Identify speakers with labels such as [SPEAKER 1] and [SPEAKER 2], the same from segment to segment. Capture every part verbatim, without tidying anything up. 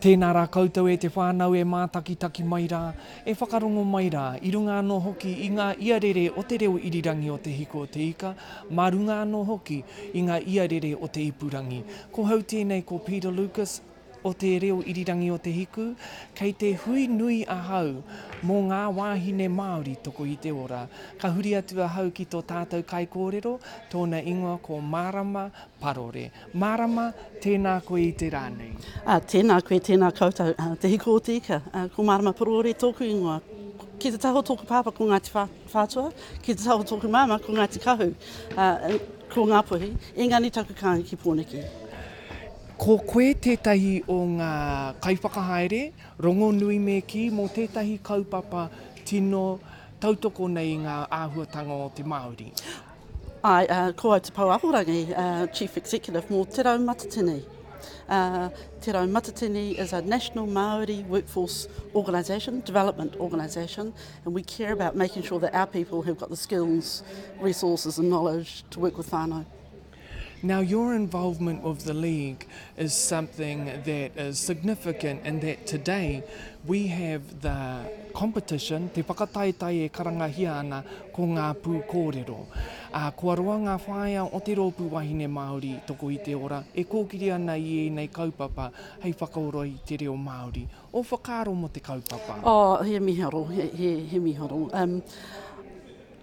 [SPEAKER 1] Tēnā rā koutou e te whānau e mātakitaki mai rā, e whakarongo mai rā, i runga anō hoki i ngā iarere o te reo irirangi o Te Hiku o Te Ika, mā runga anō hoki i ngā iarere o te ipurangi. Ko hau tēnei ko Peter Lucas o te reo irirangi o Te Hiku, kei te hui nui ahau mō ngā wāhine Māori toko i te ora. Ka huri atu ahau ki tō tātou kaikōrero, tōna ingoa ko Marama Parore. Marama, tēnā koe i te rā nei.
[SPEAKER 2] Uh, tēnā koe, tēnā koutou. Uh, te Hiku o Te Ika, uh, ko Marama Parore tōku ingoa. Ki te taha o tōku pāpā ko Ngāti Whātua, ki te taha o tōku māmā ko Ngāti Kahu, uh, ko Ngāpuhi, engari taku kāinga ki Pōneke.
[SPEAKER 1] Ko koe tētahi o ngā kaiwhakahaere, rongonui me kī, mō tētahi kaupapa tino tautoko nei i ngā āhuatanga o te Māori.
[SPEAKER 2] Ai, uh, ko au te Pou Ahorangi, uh, Chief Executive mō Te Rau Matatini. Uh, Te Rau Matatini is a national Māori workforce organisation, development organisation, and we care about making sure that our people have got the skills, resources and knowledge to work with whānau.
[SPEAKER 1] Now, your involvement with the league is something that is significant in that today we have the competition, te whakataetae e karangahia ana ko ngā pūkōrero. Uh, kua roa ngā whaea o te rōpū wahine Māori toko i te ora e kōkiri ana i ēnei kaupapa hei whakaora i te reo Māori. O whakaaro mō te kaupapa?
[SPEAKER 2] Oh, he miharo, he, he, he miharo. Um,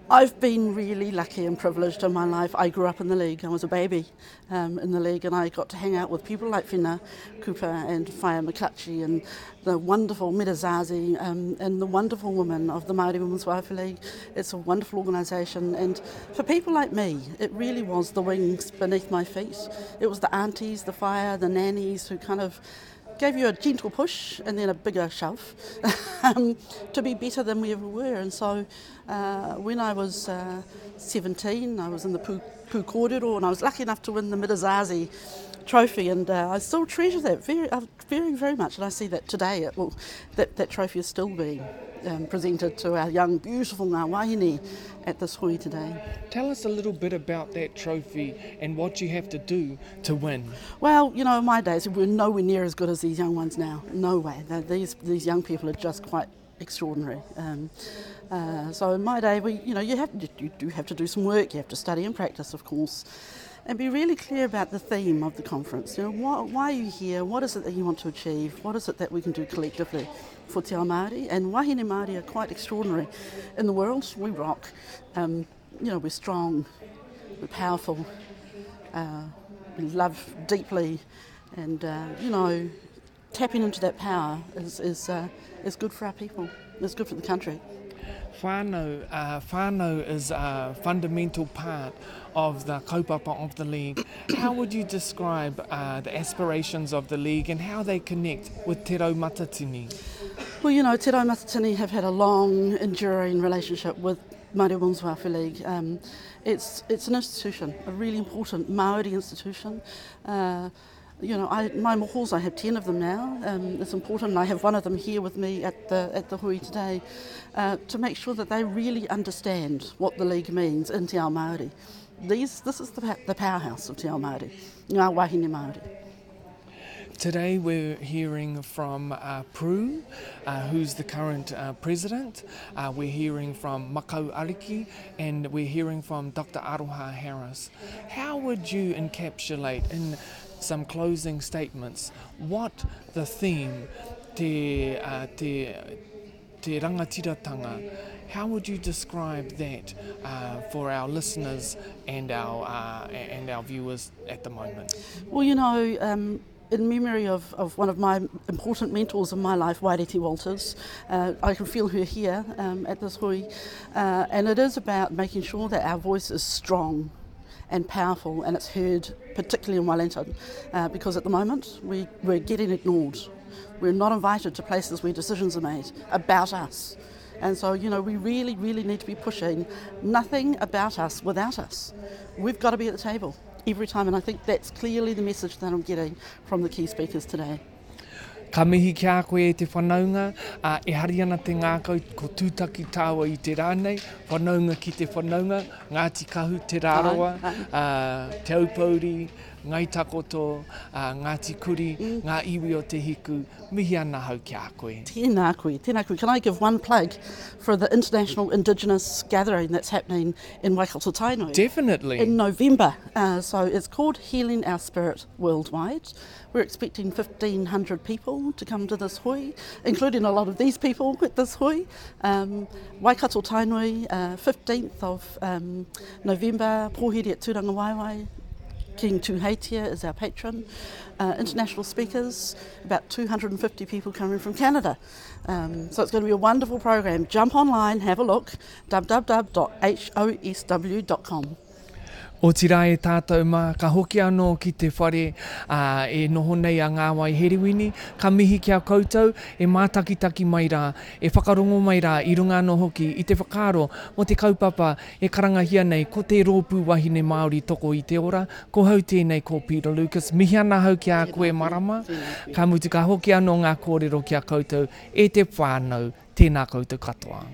[SPEAKER 2] I've been really lucky and privileged in my life. I grew up in the league. I was a baby um, in the league, and I got to hang out with people like Whina Cooper and Whaea McClutchie and the wonderful Mira Zazi um, and the wonderful women of the Māori Women's Welfare League. It's a wonderful organisation, and for people like me, it really was the wings beneath my feet. It was the aunties, the whaea, the nannies who kind of gave you a gentle push and then a bigger shove um, to be better than we ever were. And so uh, when I was uh, seventeen, I was in the Pū, Pū Kōrero, and I was lucky enough to win the Mira Zazi trophy, and uh, I still treasure that very, uh, very, very much. And I see that today, it will, that, that trophy is still being um, presented to our young, beautiful ngā wahine at this hui today.
[SPEAKER 1] Tell us a little bit about that trophy and what you have to do to win.
[SPEAKER 2] Well, you know, in my days, we were nowhere near as good as these young ones now. No way. They're, these, these young people are just quite extraordinary. Um, uh, so in my day, we, you know, you have you, you do have to do some work. You have to study and practice, of course, and be really clear about the theme of the conference. You know, why, why are you here? What is it that you want to achieve? What is it that we can do collectively for te ao Māori? And wahine Māori are quite extraordinary in the world. We rock. Um, you know, we're strong, we're powerful, uh, we love deeply, and, uh, you know, tapping into that power is, is, uh, is good for our people. It's good for the country.
[SPEAKER 1] Whānau, uh, whānau is a fundamental part of the kaupapa of the league. How would you describe uh, the aspirations of the league and how they connect with Te Rau Matatini?
[SPEAKER 2] Well, you know, Te Rau Matatini have had a long, enduring relationship with Māori Women's Welfare League. Um, it's, it's an institution, a really important Māori institution. Uh, You know, I, my mohos, I have ten of them now. Um, it's important, and I have one of them here with me at the, at the hui today, uh, to make sure that they really understand what the league means in te ao Māori. These, this is the, the powerhouse of te ao Māori, ngā wahine Māori.
[SPEAKER 1] Today we're hearing from uh, Prue, uh, who's the current uh, president. Uh, we're hearing from Makau Ariki, and we're hearing from Doctor Aroha Harris. How would you encapsulate in some closing statements what the theme, te, uh, te, te rangatiratanga, how would you describe that uh, for our listeners and our, uh, and our viewers at the moment?
[SPEAKER 2] Well, you know, um, in memory of, of one of my important mentors in my life, Waireti Walters, uh, I can feel her here, um, at this hui, uh, and it is about making sure that our voice is strong and powerful, and it's heard particularly in Wellington, uh, because at the moment we, we're getting ignored. We're not invited to places where decisions are made about us. And so, you know, we really, really need to be pushing nothing about us without us. We've got to be at the table every time, and I think that's clearly the message that I'm getting from the key speakers today.
[SPEAKER 1] Ka mihi ki a koe e te whanaunga, uh, e hari ana te ngākau ko tūtaki tāua i te rā nei, whanaunga ki te whanaunga, Ngāti Kahu, Te Rarawa, uh, Te Aupouri, Ngai Takoto, uh, Ngāti Kuri, mm. ngā iwi o Te Hiku, mihi ana hau ki a koe.
[SPEAKER 2] Tēnā koe, tēnā koe. Can I give one plug for the International Indigenous Gathering that's happening in Waikato Tainui?
[SPEAKER 1] Definitely.
[SPEAKER 2] In November. Uh, so it's called Healing Our Spirit Worldwide. We're expecting fifteen hundred people to come to this hui, including a lot of these people at this hui. Um, Waikato Tainui, uh, fifteenth of um, November, Pōhiri at Tūrangawaewae. King Tuheitia is our patron. Uh, international speakers, about two hundred and fifty people coming from Canada. Um, so it's gonna be a wonderful program. Jump online, have a look, w w w dot h o s w dot com.
[SPEAKER 1] Otirā e tātou mā, ka hoki anō ki te whare, ā, e noho nei a Ngāwai Herewini, ka mihi ki a koutou, e mātakitaki mai rā, e whakarongo mai rā, i runga anō hoki, i te whakaaro mō te kaupapa e karangahia nei ko te rōpū wahine Māori toko i te ora, ko hau tēnei ko Peter Lucas, mihi ana hau ki a koe marama, ka mutu ka hoki anō ngā kōrero ki a koutou e te whānau, tēnā koutou katoa.